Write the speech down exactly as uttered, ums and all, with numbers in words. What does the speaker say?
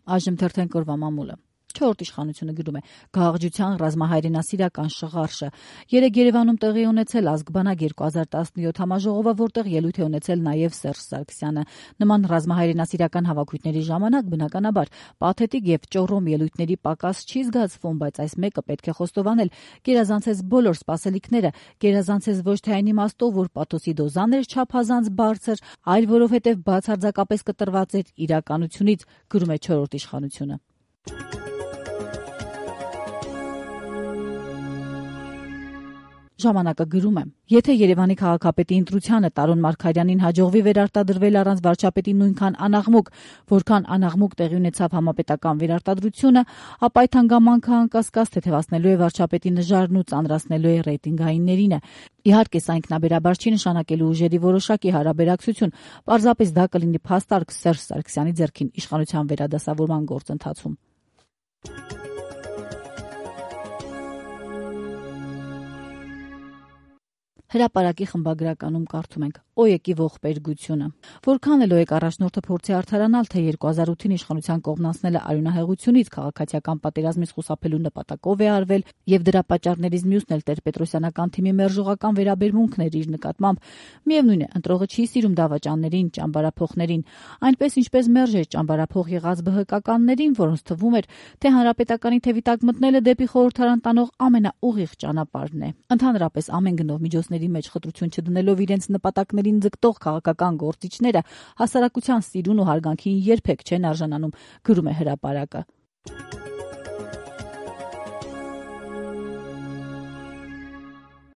Այժմ թերթեն կրվա մամուլը։ Չորրորդ իշխանությունը գրում է գաղջության ռազմահայրենասիրական շղարշը։ Երեկ Երևանում տեղի ունեցել ազգբանակ երկու հազար տասնյոթ համաժողովը, որտեղ ելույթ է ունեցել նաև Սերժ Սարգսյանը։ Նման ռազմահայրենասիրական հավաքույթների ժամանակ բնականաբար պաթետիկ եւ ճոռոմ ելույթների պակաս չի զգացվում, բայց այս մեկը պետք է խոստովանել, գերազանցեց բոլոր սպասելիքները, գերազանցեց ոչ թե այն իմաստով, որ պաթոսի դոզան էր չափազանց բարձր, այլ որովհետեւ բացարձակապես կտրված էր իրականությունից, գրում է չորրորդ իշխանությունը։ Ժամանակը գրում է. Եթե Երևանի քաղաքապետի ընտրությանը Տարոն Մարգարյանին հաջողվի վերարտադրվել առանց վարչապետի նույնքան անաղմուկ, որքան անաղմուկ տեղի ունեցավ համապետական վերարտադրությունը, ապա այդ հանգամանքը անկասկած թեթևացնելու է վարչապետի նժարն ու ծանրացնելու է ռեյտինգայիններին։ Իհարկե, սա ինքնաբերաբար չի նշանակելու ուժերի որոշակի հարաբերակցություն, պարզապես դա կլինի փաստարկ Սերժ Սարգսյանի ձեռքին իշխանության վերադասավորման գործընթացում։ Հրապարակի խմբագրականում կարդում ենք. «Օյեկի ողբերգությունը»։ Որքան էլ Օյեկ առաջնորդը փորձի արդարանալ, թե երկու հազար ութին իշխանության կողմնացնելը արյունահեղությունից, քաղաքացիական պատերազմից խուսափելու նպատակով է արվել, եւ դրա պատճառներից մյուսն էլ տեր-պետրոսյանական թիմի մերժողական վերաբերմունքն էր իր նկատմամբ, միևնույն է, ընտրողը չի սիրում դավաճաններին, ճամբարափոխներին, այնպես ինչպես մերժ էր ճամբարափոխ եղած ԲՀԿ-ականներին, որոնց թվում էր, թե հանրապետականի թևի տակ մտնելը դեպի խորհրդարան տանող ամենաուղիղ ճանապարհն է։ Ընդհանրապես ամեն գնով միջոցների մեջ խտրություն չդնելով իրենց նպատակներին ձգտող քաղաքական գործիչները հասարակության սիրուն ու հարգանքին երբեք չեն արժանանում, գրում է Հրապարակը։